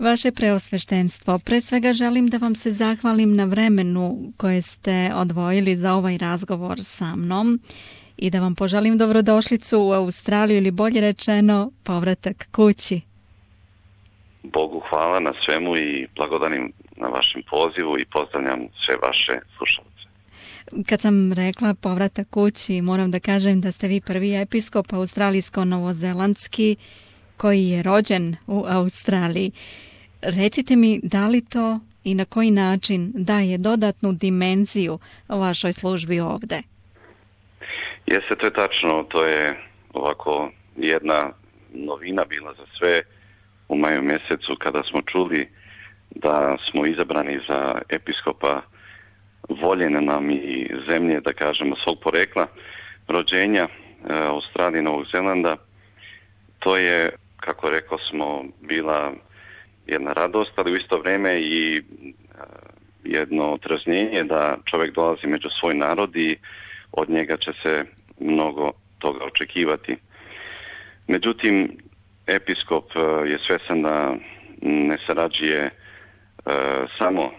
Vaše preosveštenstvo, pre svega želim da vam se zahvalim na vremenu koje ste odvojili za ovaj razgovor sa mnom i da vam poželim dobrodošlicu u Australiju ili bolje rečeno povratak kući. Bogu hvala na svemu i blagodanim na vašem pozivu i pozdravljam sve vaše slušalce. Kad sam rekla povratak kući, moram da kažem da ste vi prvi episkop australijsko-novozelandski koji je rođen u Australiji. Recite mi, da li to i na koji način daje dodatnu dimenziju vašoj službi ovde? Jeste, to je tačno. To je ovako jedna novina bila za sve u maju mjesecu kada smo čuli da smo izabrani za episkopa voljene nam i zemlje, da kažemo, svog porekla, rođenja Australije i Novog Zelanda. To je, kako rekao smo, bila jedna radost, ali u isto vrijeme i jedno otraznjenje da čovjek dolazi među svoj narod i od njega će se mnogo toga očekivati. Međutim, episkop je svjestan da ne sarađuje samo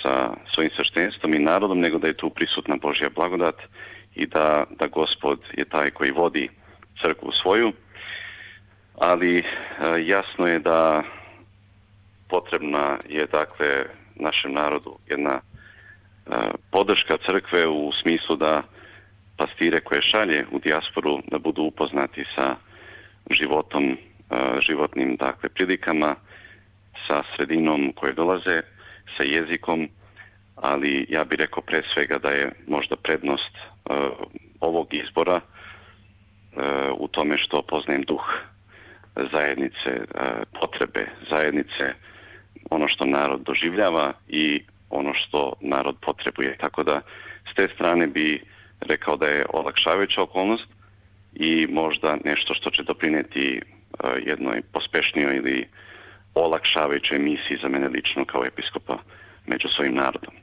sa svojim sveštenstvom i narodom, nego da je tu prisutna Božja blagodat i da Gospod je taj koji vodi crkvu svoju. Ali jasno je da potrebna je, dakle, našem narodu jedna podrška crkve u smislu da pastire koje šalje u dijasporu da budu upoznati sa životom, životnim, dakle, prilikama, sa sredinom koje dolaze, sa jezikom, ali ja bih rekao pre svega da je možda prednost ovog izbora u tome što poznajem duh zajednice, potrebe zajednice, ono što narod doživljava i ono što narod potrebuje. Tako da s te strane bi rekao da je olakšavajuća okolnost i možda nešto što će doprinijeti jednoj pospešnijoj ili olakšavajućoj misiji za mene lično kao episkopa među svojim narodom.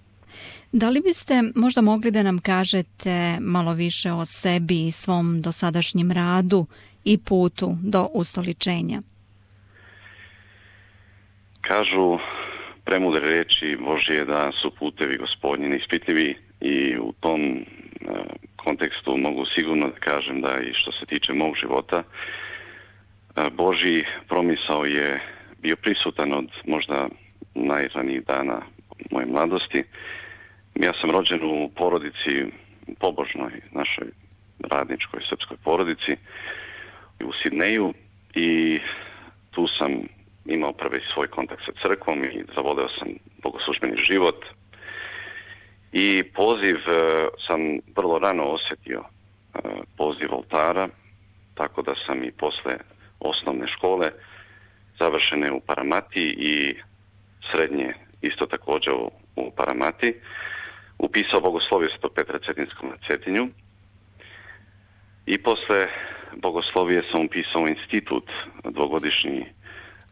Da li biste možda mogli da nam kažete malo više o sebi i svom dosadašnjem radu i putu do ustoličenja? Kažu premudre reči Božje da su putevi Gospodnji neispitljivi i u tom kontekstu mogu sigurno da kažem da i što se tiče mog života, Božji promisao je bio prisutan od možda najranijih dana moje mladosti. Ja sam rođen u porodici, pobožnoj našoj radničkoj srpskoj porodici u Sidneju i tu sam imao prvi svoj kontakt sa crkvom i zavoleo sam bogoslužbeni život. I poziv sam vrlo rano osjetio, poziv oltara, tako da sam i posle osnovne škole završene u Paramati i srednje isto također u Paramati, upisao bogoslovje Svetog Petra Cetinskog na Cetinju i posle bogoslovije sam upisao institut, dvogodišnji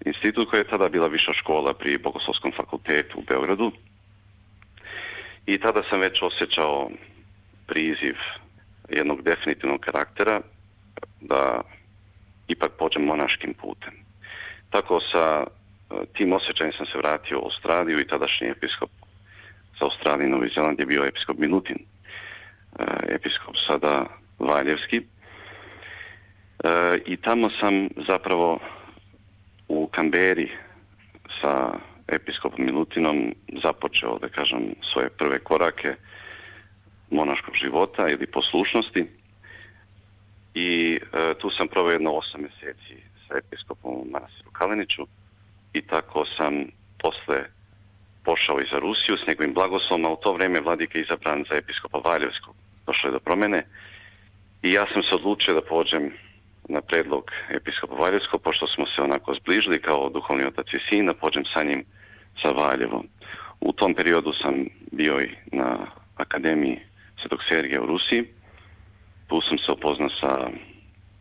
institut koji je tada bila viša škola pri Bogoslovskom fakultetu u Beogradu i tada sam već osjećao priziv jednog definitivnog karaktera da ipak pođem monaškim putem. Tako sa tim osjećajem sam se vratio u Australiju i tadašnji episkop za Australiju i Novi Zeland je bio episkop Milutin, episkop sada Valjevski. I tamo sam zapravo u Kamberi sa episkopom Milutinom započeo, da kažem, svoje prve korake monaškog života ili poslušnosti i tu sam proveo jedno 8 mjeseci sa episkopom u manastiru Kaleniću i tako sam posle pošao i za Rusiju s njegovim blagoslovom, a u to vrijeme vladika je izabran za episkopa Valjevskog. Došlo je do promjene i ja sam se odlučio da pođem na predlog episkopa Valjevskog, pošto smo se onako zbližili kao duhovni otac i sin, da pođem sa njim za Valjevo. U tom periodu sam bio i na Akademiji Svetog Sergija u Rusiji. Tu sam se upoznao sa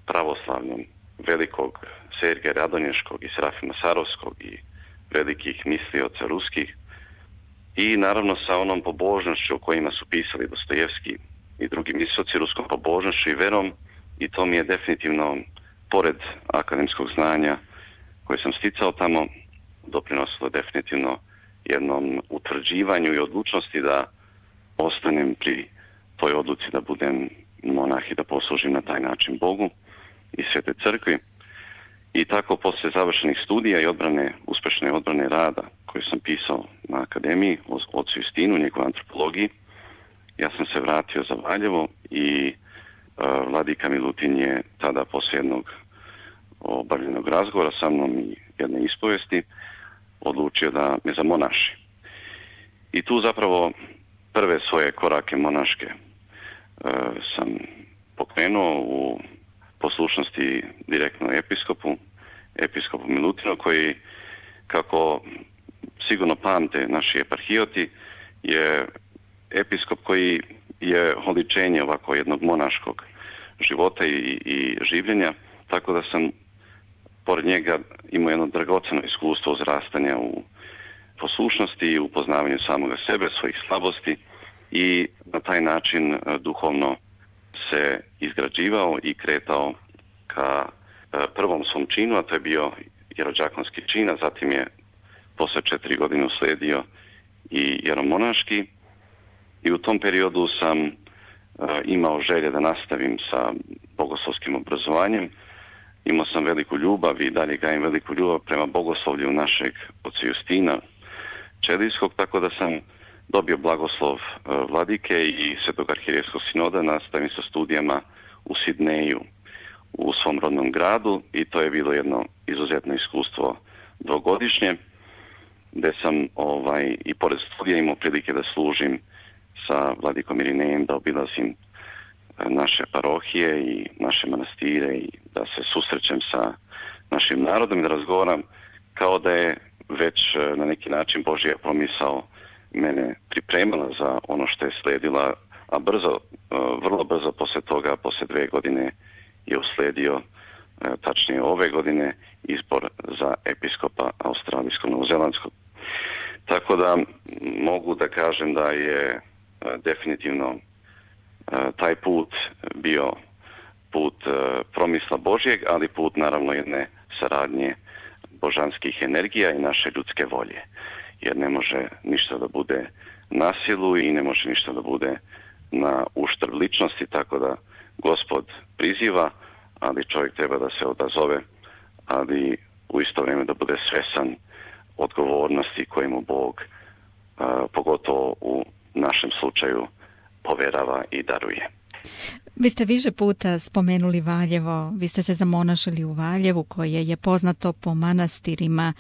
pravoslavljom velikog Sergija Radonješkog i Serafima Sarovskog i velikih mislioca ruskih i naravno sa onom pobožnošću o kojima su pisali Dostojevski i drugi mislioci, ruskom pobožnošću i verom, i to mi je definitivno, pored akademskog znanja koje sam sticao tamo, doprinosilo definitivno jednom utvrđivanju i odlučnosti da ostanem pri toj odluci da budem monah i da poslužim na taj način Bogu i Svete crkvi. I tako poslije završenih studija i uspješne odbrane rada koju sam pisao na akademiji o ocu Justinu, njegovoj antropologiji, ja sam se vratio za Valjevo i vladika Milutin je tada poslije jednog obavljenog razgovora sa mnom i jedne ispovesti odlučio da me zamonaši. I tu zapravo prve svoje korake monaške sam pokrenuo u poslušnosti direktno episkopu Milutinu, koji, kako sigurno pamte naši eparhijoti, je episkop koji je oličenje ovako jednog monaškog života i življenja, tako da sam pored njega imao jedno dragoceno iskustvo uzrastanja u poslušnosti i upoznavanju samoga sebe, svojih slabosti, i na taj način duhovno se izgrađivao i kretao ka prvom svom činu, a to je bio jerodžakonski čin, a zatim je posle 4 godine uslijedio i jeromonaški. I u tom periodu sam imao želje da nastavim sa bogoslovskim obrazovanjem. Imao sam veliku ljubav i dalje gajim veliku ljubav prema bogoslovlju našeg oca Justina Čelijskog, tako da sam dobio blagoslov vladike i Svetog arhijerejskog sinoda, nastavim sa studijama u Sidneju, u svom rodnom gradu, i to je bilo jedno izuzetno iskustvo dvogodišnje, gdje sam i pored studija imao prilike da služim sa vladikom Irinejem, da obilazim naše parohije i naše manastire i da se susrećem sa našim narodom i da razgovaram kao da je već na neki način Božja promisao mene pripremala za ono što je slijedila, a vrlo brzo poslije toga, poslije 2 godine je uslijedio, tačnije ove godine, izbor za episkopa australijskog novozelandskog. Tako da mogu da kažem da je definitivno taj put bio put promisla Božjeg, ali put naravno jedne saradnje božanskih energija i naše ljudske volje. Jer ne može ništa da bude na silu i ne može ništa da bude na uštrb ličnosti, tako da Gospod priziva, ali čovjek treba da se odazove, ali u isto vrijeme da bude svjestan odgovornosti koje mu Bog, pogotovo u našem slučaju, poverava i daruje. Vi ste više puta spomenuli Valjevo, vi ste se zamonašili u Valjevu, koje je poznato po manastirima,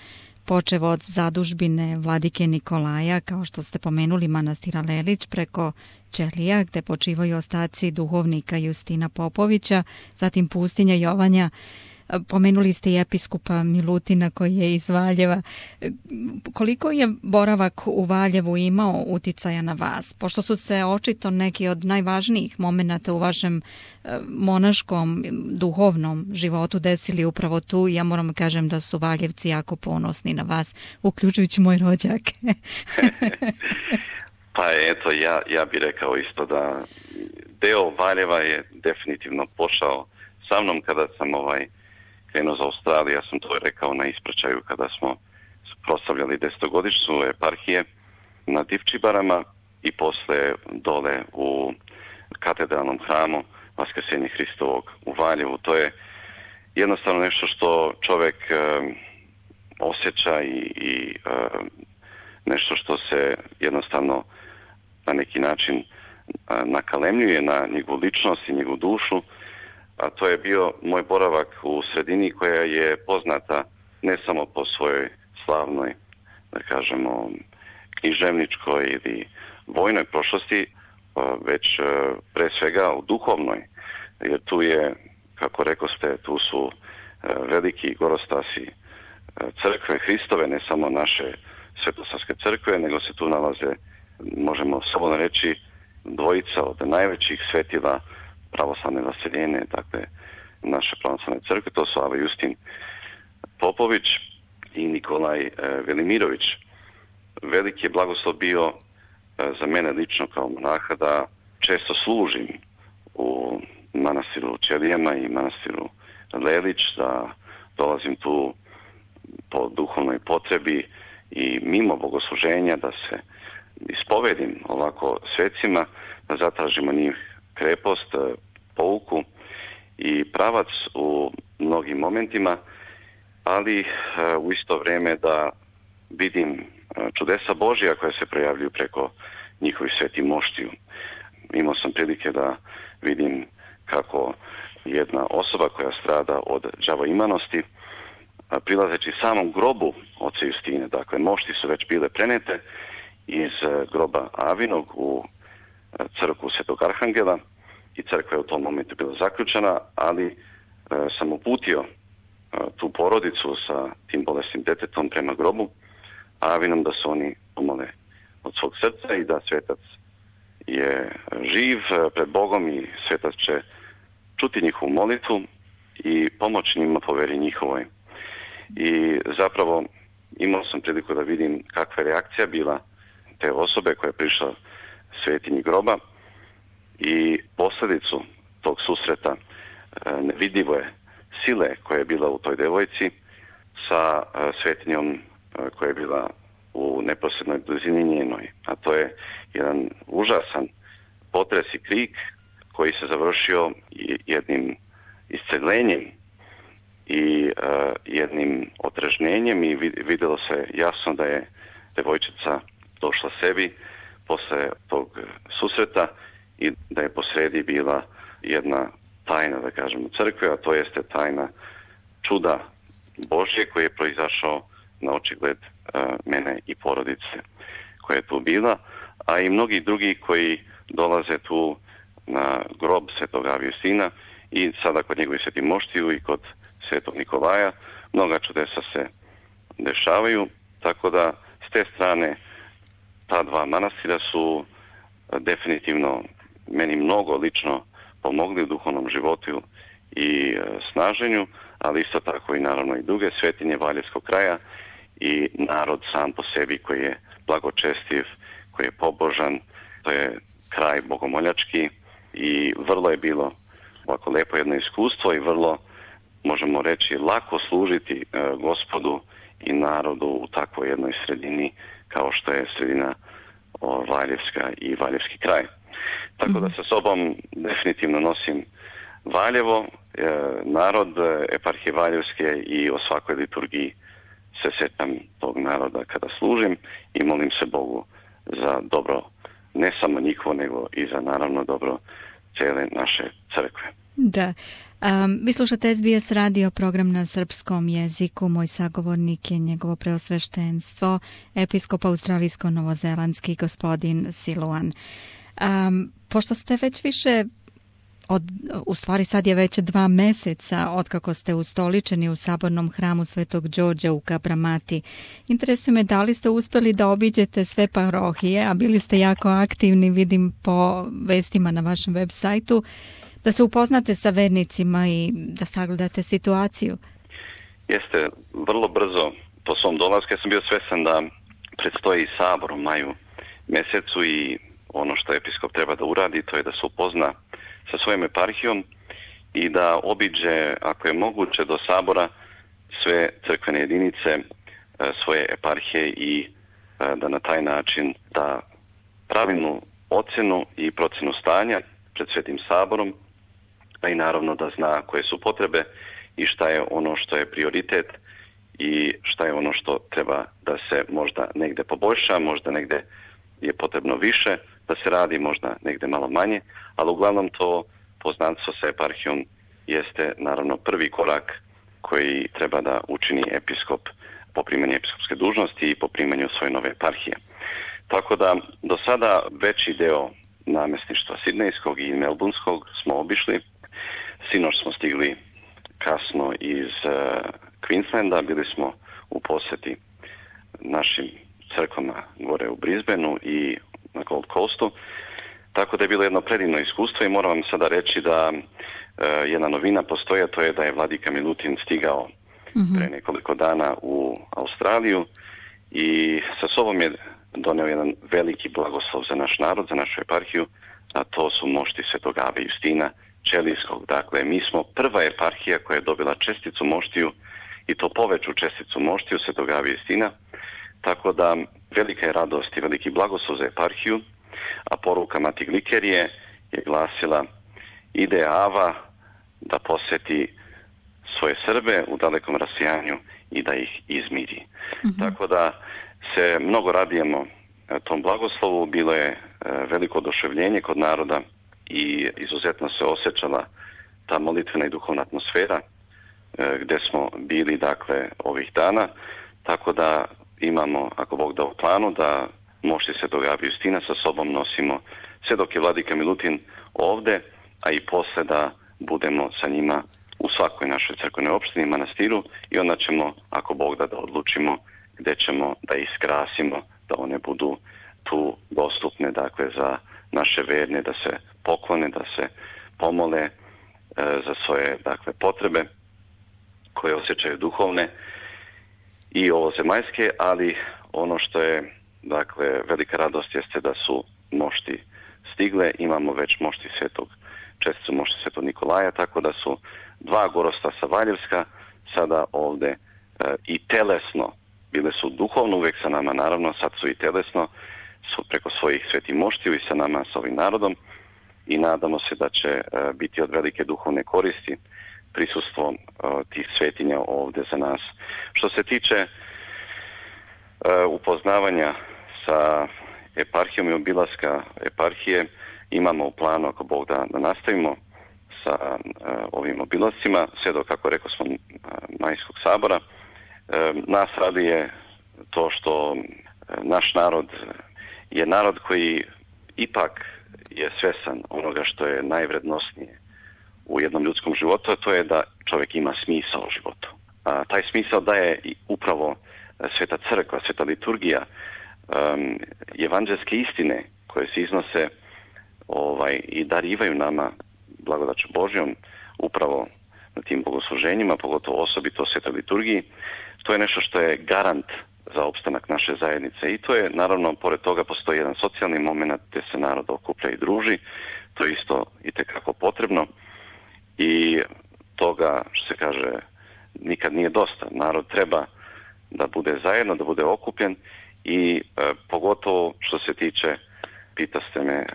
počev od zadužbine vladike Nikolaja, kao što ste pomenuli manastira Lelić, preko Čelija, gde počivaju ostaci duhovnika Justina Popovića, zatim pustinja Jovanja. Pomenuli ste i episkopa Milutina koji je iz Valjeva. Koliko je boravak u Valjevu imao uticaja na vas? Pošto su se očito neki od najvažnijih momenata u vašem monaškom, duhovnom životu desili upravo tu, ja moram kažem da su Valjevci jako ponosni na vas, uključujući moj rođak. Pa eto, ja bih rekao isto da deo Valjeva je definitivno pošao sa mnom kada sam krenuo za Australiju. Ja sam to rekao na ispraćaju kada smo proslavljali 10-godišnjicu eparhije na Divčibarama i posle dole u katedralnom hramu Vaskrsenja Hristovog u Valjevu. To je jednostavno nešto što čovjek osjeća i nešto što se jednostavno na neki način nakalemljuje na njegovu ličnost i njegovu dušu, a to je bio moj boravak u sredini koja je poznata ne samo po svojoj slavnoj, da kažemo, književničkoj ili vojnoj prošlosti, već pre svega u duhovnoj, jer tu je, kako rekoste, tu su veliki gorostasi crkve Hristove, ne samo naše svetosavske crkve, nego se tu nalaze, možemo slobodno reći, dvojica od najvećih svetila pravoslavne vaseljene, dakle naše pravoslavne crkve, to su Ava Justin Popović i Nikolaj Velimirović. Veliki je blagoslov bio za mene lično kao monaha da često služim u manastiru Čelijama i manastiru Lelić, da dolazim tu po duhovnoj mojoj potrebi i mimo bogosluženja da se ispovedim ovako svecima, da zatražimo njih krepost, pouku i pravac u mnogim momentima, ali u isto vrijeme da vidim čudesa Božja koja se projavljuju preko njihovih svetih moštiju. Imao sam prilike da vidim kako jedna osoba koja strada od đavoimanosti, prilazeći samom grobu oca Justine, dakle mošti su već bile prenete iz groba Avinog u crkvu Svetog Arhangela i crkva je u tom momentu bila zaključana, ali sam uputio tu porodicu sa tim bolesnim detetom prema grobu Avinom da se oni pomole od svog srca i da svetac je živ pred Bogom i svetac će čuti njihovu molitvu i pomoći njima po veri njihovoj. I zapravo imao sam priliku da vidim kakva je reakcija bila te osobe koja je prišla svetinji groba i posljedicu tog susreta nevidljive sile koja je bila u toj devojci sa svetinjom koja je bila u neposrednoj blizini njenoj. A to je jedan užasan potres i krik koji se završio jednim isceljenjem i jednim otrežnjenjem i vidjelo se jasno da je devojčica došla sebi posle tog susreta i da je posredi bila jedna tajna, da kažemo, crkve, a to jeste tajna čuda Božje koji je proizašao na očigled mene i porodice koja je tu bila, a i mnogi drugi koji dolaze tu na grob Svetog Justina i sada kod njegovih svetih moštiju i kod Svetog Nikolaja. Mnoga čudesa se dešavaju, tako da s te strane ta dva manastira su definitivno meni mnogo lično pomogli u duhovnom životu i snaženju, ali isto tako i naravno i druge svetinje Valjevskog kraja i narod sam po sebi koji je blagočestiv, koji je pobožan, to je kraj bogomoljački i vrlo je bilo ovako lepo jedno iskustvo i vrlo, možemo reći, lako služiti Gospodu i narodu u takvoj jednoj sredini kao što je sredina Valjevska i Valjevski kraj. Tako da sa sobom definitivno nosim Valjevo, narod eparhije Valjevske i o svakoj liturgiji se sjećam tog naroda kada služim i molim se Bogu za dobro ne samo njihovo, nego i za naravno dobro cijele naše crkve. Da. Vi slušate SBS radio, program na srpskom jeziku. Moj sagovornik je njegovo preosveštenstvo, episkop australijsko-novozelandski gospodin Siluan. Pošto ste već više u stvari sad je već 2 meseca otkako ste ustoličeni u sabornom hramu Svetog Đorđa u Kabramati. Interesuje me da li ste uspjeli da obiđete sve parohije, a bili ste jako aktivni, vidim po vestima na vašem web sajtu, da se upoznate sa vernicima i da sagledate situaciju. Jeste, vrlo brzo po svom dolasku ja sam bio svjestan da predstoji sabor u maju mjesecu i ono što episkop treba da uradi to je da se upozna sa svojom eparhijom i da obiđe, ako je moguće, do sabora sve crkvene jedinice svoje eparhije i da na taj način da pravilnu ocjenu i procjenu stanja pred Svetim saborom, a i naravno da zna koje su potrebe i šta je ono što je prioritet i šta je ono što treba da se možda negde poboljša, možda negde je potrebno više da se radi, možda negde malo manje, ali uglavnom to poznanstvo sa eparhijom jeste naravno prvi korak koji treba da učini episkop po primanju episkopske dužnosti i po primanju svoje nove eparhije. Tako da do sada veći deo namjesništva sidnejskog i melburnskog smo obišli. Sinoć smo stigli kasno iz Queenslanda, bili smo u posjeti našim crkvama gore u Brisbaneu i na Gold Coastu. Tako da je bilo jedno predivno iskustvo i moram vam sada reći da jedna novina postoji, a to je da je vladika Milutin stigao pre nekoliko dana u Australiju i sa sobom je doneo jedan veliki blagoslov za naš narod, za našu eparhiju, a to su mošti Svetog Ave Justina Čelijskog. Dakle, mi smo prva eparhija koja je dobila česticu moštiju i to poveću česticu moštiju Svetog Ava Justina, tako da velika je radost i veliki blagoslov za eparhiju, a poruka Mati Glikerije je glasila: ide Ava da poseti svoje Srbe u dalekom rasijanju i da ih izmiri. Tako da se mnogo radujemo tom blagoslovu. Bilo je veliko oduševljenje kod naroda i izuzetno se osjećala ta molitvena i duhovna atmosfera gdje smo bili, dakle, ovih dana. Tako da imamo, ako Bog da, u planu da mošti Svetog Ava Justina sa sobom nosimo sve dok je vladika Milutin ovdje, a i posle da budemo sa njima u svakoj našoj crkvenoj opštini, manastiru, i onda ćemo, ako Bog da odlučimo gdje ćemo da iskrasimo, da one budu tu dostupne, dakle, za naše verne, da se poklone, da se pomole za svoje, dakle, potrebe koje osjećaju duhovne i ovozemaljske, ali ono što je, dakle, velika radost jeste da su mošti stigle. Imamo već mošti česticu mošti Svetog Nikolaja, tako da su dva gorosta sa Valjevska sada ovdje i telesno, bile su duhovno uvijek sa nama, naravno, sad su i telesno, su preko svojih svetih moštiju i sa nama, sa ovim narodom, i nadamo se da će biti od velike duhovne koristi prisustvo tih svetinja ovdje za nas. Što se tiče upoznavanja sa eparhijom i obilaska eparhije, imamo u planu, ako Bog da nastavimo sa ovim obilascima, sve do, kako rekao smo, Majskog sabora. Nas raduje to što naš narod je narod koji ipak je svesan onoga što je najvrednosnije u jednom ljudskom životu, a to je da čovjek ima smisao u životu. A taj smisao daje i upravo Sveta crkva, Sveta liturgija, evanđelske istine koje se iznose i darivaju nama blagodaću Božjom upravo na tim bogosluženjima, pogotovo osobito Svetoj liturgiji. To je nešto što je garant za opstanak naše zajednice, i to je, naravno, pored toga postoji jedan socijalni moment gdje se narod okuplja i druži. To je isto itekako potrebno i toga, što se kaže, nikad nije dosta. Narod treba da bude zajedno, da bude okupljen, i pogotovo što se tiče, pitaste me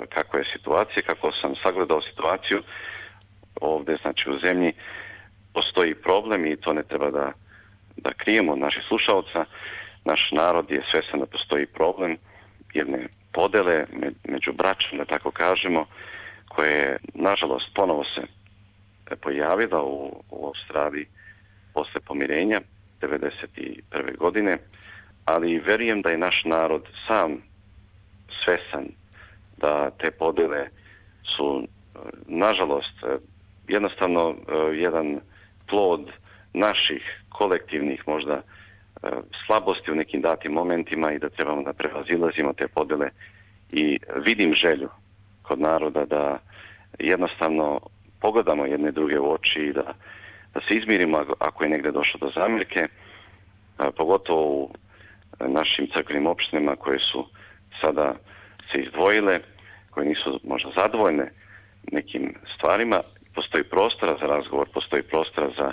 kakva je situacija, kako sam sagledao situaciju ovdje, znači u zemlji postoji problem i to ne treba da krijemo od naših slušalca. Naš narod je svjestan da postoji problem jedne podele među braćom, da tako kažemo, koje je, nažalost, ponovo se pojavila u Australiji posle pomirenja 1991. godine, ali vjerujem da je naš narod sam svjestan da te podele su, nažalost, jednostavno jedan plod naših kolektivnih možda slabosti u nekim datim momentima i da trebamo da prevazilazimo te podele, i vidim želju kod naroda da jednostavno pogledamo jedne druge u oči i da se izmirimo ako je negdje došlo do zamjerke, pogotovo u našim crkvenim opštinama koje su sada se izdvojile, koje nisu možda zadovoljne nekim stvarima. Postoji prostora za razgovor, postoji prostora za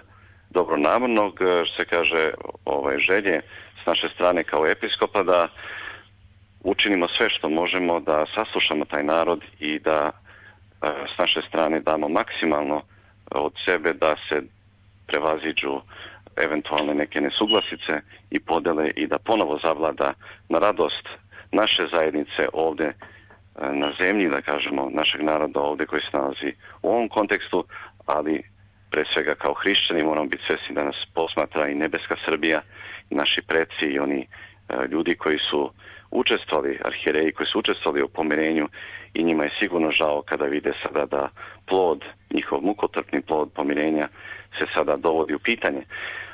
dobronamjernog, što se kaže, želje s naše strane kao episkopa da učinimo sve što možemo da saslušamo taj narod i da s naše strane damo maksimalno od sebe da se prevaziđu eventualne neke nesuglasice i podele i da ponovo zavlada na radost naše zajednice ovdje na zemlji, da kažemo, našeg naroda ovdje koji se nalazi u ovom kontekstu, ali pre svega kao hrišćani moramo biti svjesni da nas posmatra i nebeska Srbija, i naši preci i oni ljudi koji su učestvovali, arhijereji koji su učestvovali u pomirenju, i njima je sigurno žao kada vide sada da plod, njihov mukotrpni plod pomirenja se sada dovodi u pitanje.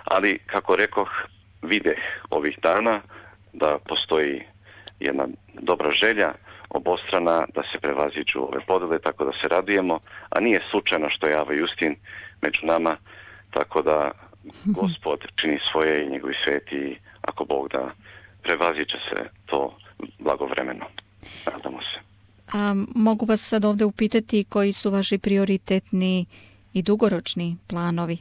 Ali, kako rekoh, videh ovih dana da postoji jedna dobra želja obostrana da se prevaziđu ove podele, tako da se radujemo, a nije slučajno što je Ava Justin među nama, tako da Gospod čini svoje i njegovi sveti, ako Bog da, prevaziće se to blagovremeno. Nadamo se. A mogu vas sad ovdje upitati koji su vaši prioritetni i dugoročni planovi?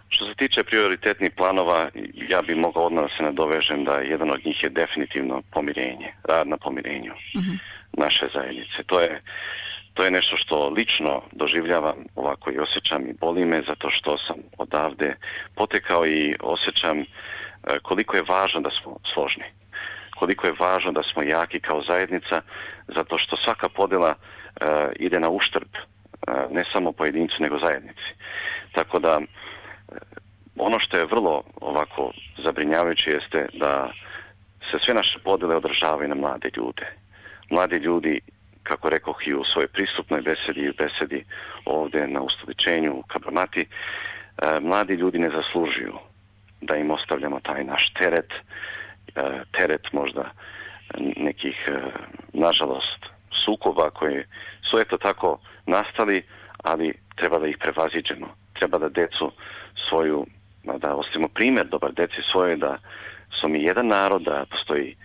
Što se tiče prioritetnih planova, ja bih mogao odmah da se nadovežem da jedan od njih je definitivno pomirenje, rad na pomirenju naše zajednice. To je nešto što lično doživljavam, ovako i osjećam i boli me, zato što sam odavde potekao i osjećam koliko je važno da smo složni, koliko je važno da smo jaki kao zajednica, zato što svaka podjela ide na uštrb ne samo pojedincu nego zajednici. Tako da ono što je vrlo ovako zabrinjavajuće jeste da se sve naše podjele održavaju na mlade ljude. Mladi ljudi, kako rekoh i u svojoj pristupnoj besedi i besedi ovdje na ustoličenju u Kabramati, mladi ljudi ne zaslužuju da im ostavljamo taj naš teret možda nekih, nažalost, sukoba koji su eto tako nastali, ali treba da ih prevaziđemo. Treba da decu svoju, da ostavimo primjer dobar deci svoje, da smo mi jedan narod, da postoji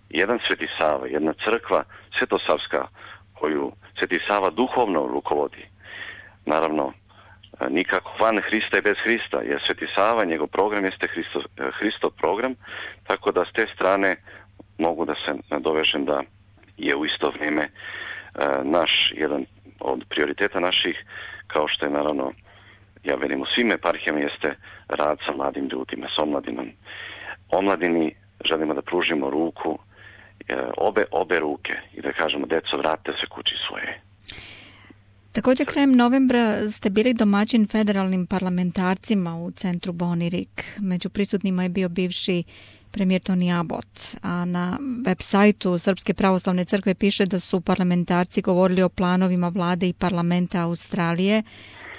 jedan Sveti Sava, jedna crkva Svetosavska koju Sveti Sava duhovno rukovodi. Naravno, nikako van Hrista i bez Hrista, jer Sveti Sava, njegov program jeste Hristov program, tako da s te strane mogu da se nadovežem da je u isto vrijeme naš jedan od prioriteta naših, kao što je naravno, ja velim u svim eparhijama, jeste rad sa mladim ljudima, s omladinom. Omladini želimo da pružimo ruku, obe ruke i da kažemo deco, vratite se kući svoje. Također krajem novembra ste bili domaćin federalnim parlamentarcima u centru Bonirik. Među prisutnima je bio bivši premijer Toni Abbott, a na web sajtu Srpske pravoslavne crkve piše da su parlamentarci govorili o planovima vlade i parlamenta Australije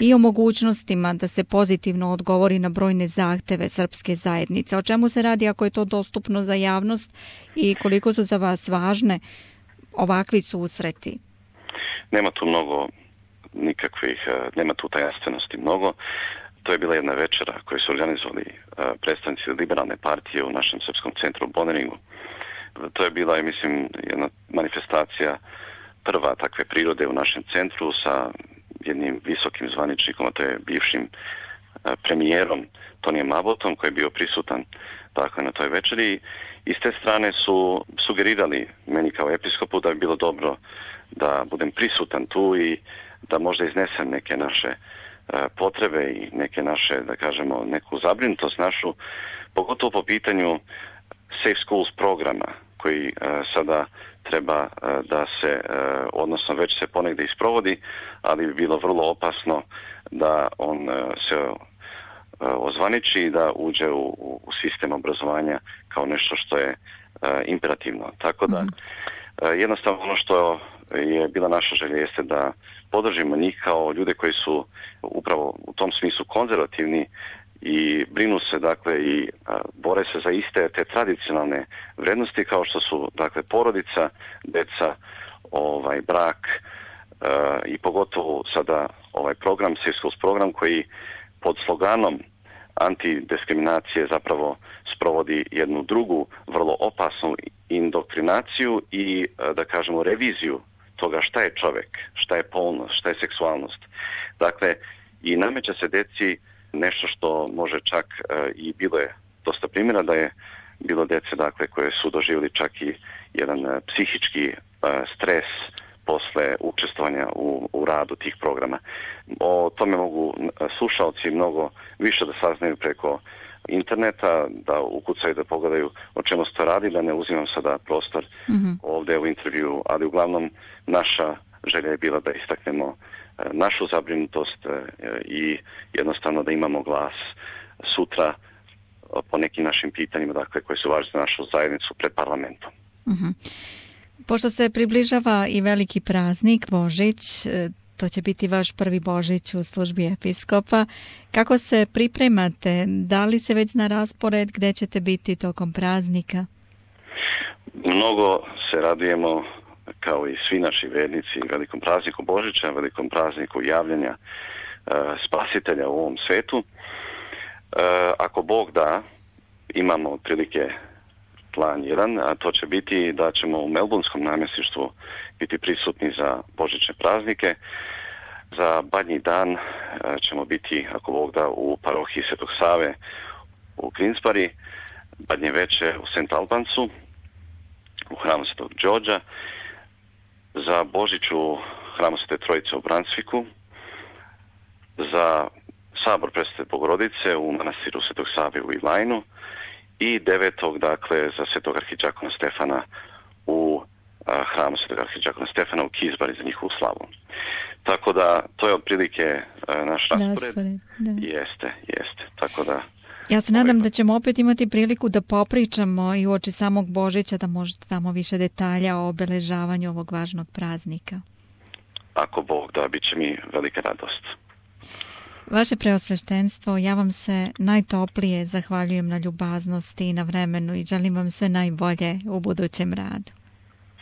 i o mogućnostima da se pozitivno odgovori na brojne zahteve srpske zajednice. O čemu se radi ako je to dostupno za javnost i koliko su za vas važne ovakvi susreti? Nema tu mnogo nema tu tajanstvenosti mnogo. To je bila jedna večera koju su organizovali predstavnici liberalne partije u našem srpskom centru u Boniringu. To je bila, mislim, jedna manifestacija prva takve prirode u našem centru sa jednim visokim zvaničnikom, a to je bivšim premijerom Tonijem Abbottom, koji je bio prisutan dakle, na toj večeri. I s te strane su sugerirali meni kao episkopu da bi bilo dobro da budem prisutan tu i da možda iznesem neke naše potrebe i neke naše, da kažemo, neku zabrinutost našu, pogotovo po pitanju Safe Schools programa koji sada treba da se, odnosno već se ponegdje isprovodi, ali bi bilo vrlo opasno da on se ozvaniči i da uđe u sistem obrazovanja kao nešto što je imperativno. Tako da jednostavno ono što je bila naša želja jeste da podržimo njih kao ljude koji su upravo u tom smislu konzervativni i brinu se dakle i bore se za iste te tradicionalne vrednosti kao što su dakle porodica, deca, brak i pogotovo sada ovaj program, Safe Schools program koji pod sloganom antidiskriminacije zapravo sprovodi jednu drugu vrlo opasnu indoktrinaciju i da kažemo reviziju toga šta je čovjek, šta je polnost, šta je seksualnost. Dakle, i nameće se deci nešto što može čak i bilo je dosta primjera da je bilo dece dakle koje su doživjeli čak i jedan psihički stres posle učestvovanja u radu tih programa. O tome mogu slušalci mnogo više da saznaju preko interneta, da ukucaju, da pogledaju o čemu se to radi, da ne uzimam sada prostor ovdje u intervju, ali uglavnom naša želja je bila da istaknemo našu zabrinutost i jednostavno da imamo glas sutra po nekim našim pitanjima, dakle, koje su važne za našu zajednicu pred parlamentom. Pošto se približava i veliki praznik Božić, to će biti vaš prvi Božić u službi episkopa. Kako se pripremate? Da li se već zna raspored gdje ćete biti tokom praznika? Mnogo se radujemo, kao i svi naši vernici, velikom prazniku Božića, velikom prazniku javljanja spasitelja u ovom svetu. Ako Bog da, imamo otprilike plan 1, a to će biti da ćemo u Melbourneskom namjesništvu biti prisutni za božićne praznike. Za Badnji dan ćemo biti, ako Bog da, u parohiji Svetog Save u Greensbury, Badnje veče u St. Albansu, u hramu Svetog Đorđa, za Božić u hramu Svete Trojice u Brunswicku, za sabor Presvete Bogorodice u manastiru Svetog Save u Ilajnu i 9. dakle za Svetog arhidžakona Stefana u hramu Svetog arhidžakona Stefana u Kizbari za njihovu slavu. Tako da to je otprilike naš raspored. Jeste. Tako da ja se nadam da ćemo opet imati priliku da popričamo i uoči samog Božića, da možete tamo više detalja o obeležavanju ovog važnog praznika. Ako Bog da, bit će mi velika radost. Vaše preosveštenstvo, ja vam se najtoplije zahvaljujem na ljubaznosti i na vremenu i želim vam sve najbolje u budućem radu.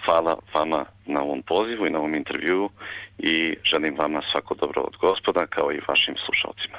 Hvala vama na ovom pozivu i na ovom intervjuu i želim vama svako dobro od Gospoda kao i vašim slušalcima.